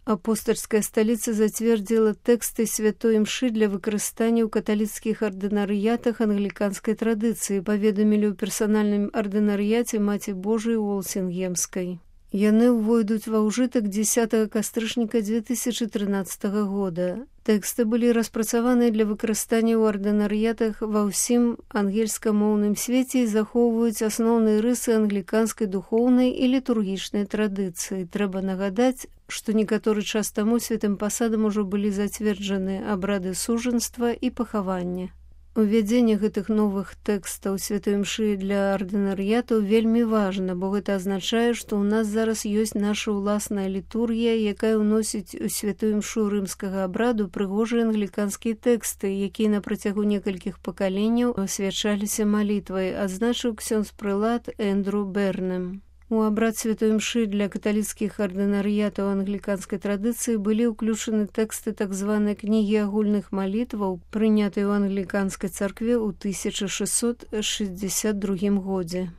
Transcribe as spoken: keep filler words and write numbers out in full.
Апостольская сталіца зацвердзіла тэксты святой імшы для выкарыстання ў каталіцкіх ардынарыятах англіканскай традыцыі, паведамілі ў персанальным ардынарыяце Маці Божай Уолсінгемскай. Яны ўвойдуць ва ўжытак дзесятага кастрычніка дзве тысячы трынаццатага года. Тэксты былі распрацаваныя для выкарыстання ў ардынарыятах ва ўсім ангельскамоўным свеце і захоўваюць асноўныя рысы англіканскай духоўнай і літургічнай традыцыі. Трэба нагадаць, што некаторы час таму святым пасадам ужо былі зацверджаны абрады сужанства і пахавання. Увядзенне гэтых новых тэкстаў святой імшы для ардынарыятаў вельмі важна, бо гэта азначае, што ў нас зараз ёсць наша ўласная літургія, якая ўносіць у святую імшу рымскага абраду прыгожыя англіканскія тэксты, якія на працягу некалькіх пакаленняў асвячаліся малітвай, адзначыў ксёндз-прылад Эндру Бернем. У абрад святой імшы для каталіцкіх ардынарыятаў англіканскай традыцыі былі ўключаны тэксты так званай кнігі агульных малітваў, прынятыя ў англіканскай царкве ў тысяча шэсцьсот шэсцьдзесят другім годзе.